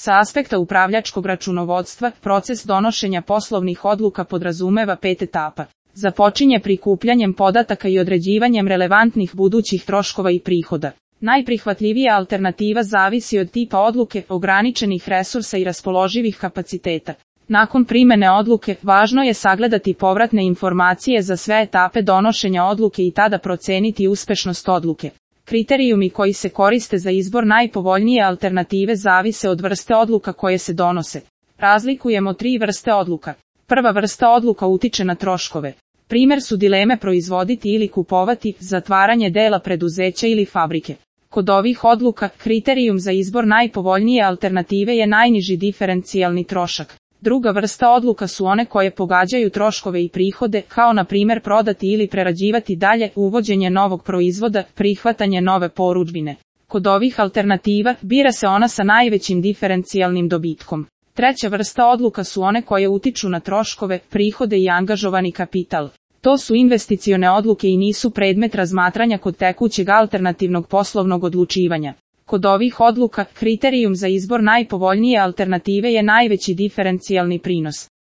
Sa aspekta upravljačkog računovodstva, proces donošenja poslovnih odluka podrazumeva 5 etapa. Započinje prikupljanjem podataka i određivanjem relevantnih budućih troškova i prihoda. Najprihvatljivija alternativa zavisi od tipa odluke, ograničenih resursa i raspoloživih kapaciteta. Nakon primene odluke, važno je sagledati povratne informacije za sve etape donošenja odluke i tada proceniti uspešnost odluke. Kriterijumi koji se koriste za izbor najpovoljnije alternative zavise od vrste odluka koje se donose. Razlikujemo 3 vrste odluka. Prva vrsta odluka utiče na troškove. Primjer su dileme proizvoditi ili kupovati, zatvaranje dela preduzeća ili fabrike. Kod ovih odluka, kriterijum za izbor najpovoljnije alternative je najniži diferencijalni trošak. Druga vrsta odluka su one koje pogađaju troškove i prihode, kao na primjer prodati ili prerađivati dalje, uvođenje novog proizvoda, prihvatanje nove porudžbine. Kod ovih alternativa, bira se ona sa najvećim diferencijalnim dobitkom. Treća vrsta odluka su one koje utiču na troškove, prihode i angažovani kapital. To su investicione odluke i nisu predmet razmatranja kod tekućeg alternativnog poslovnog odlučivanja. Kod ovih odluka, kriterijum za izbor najpovoljnije alternative je najveći diferencijalni prinos.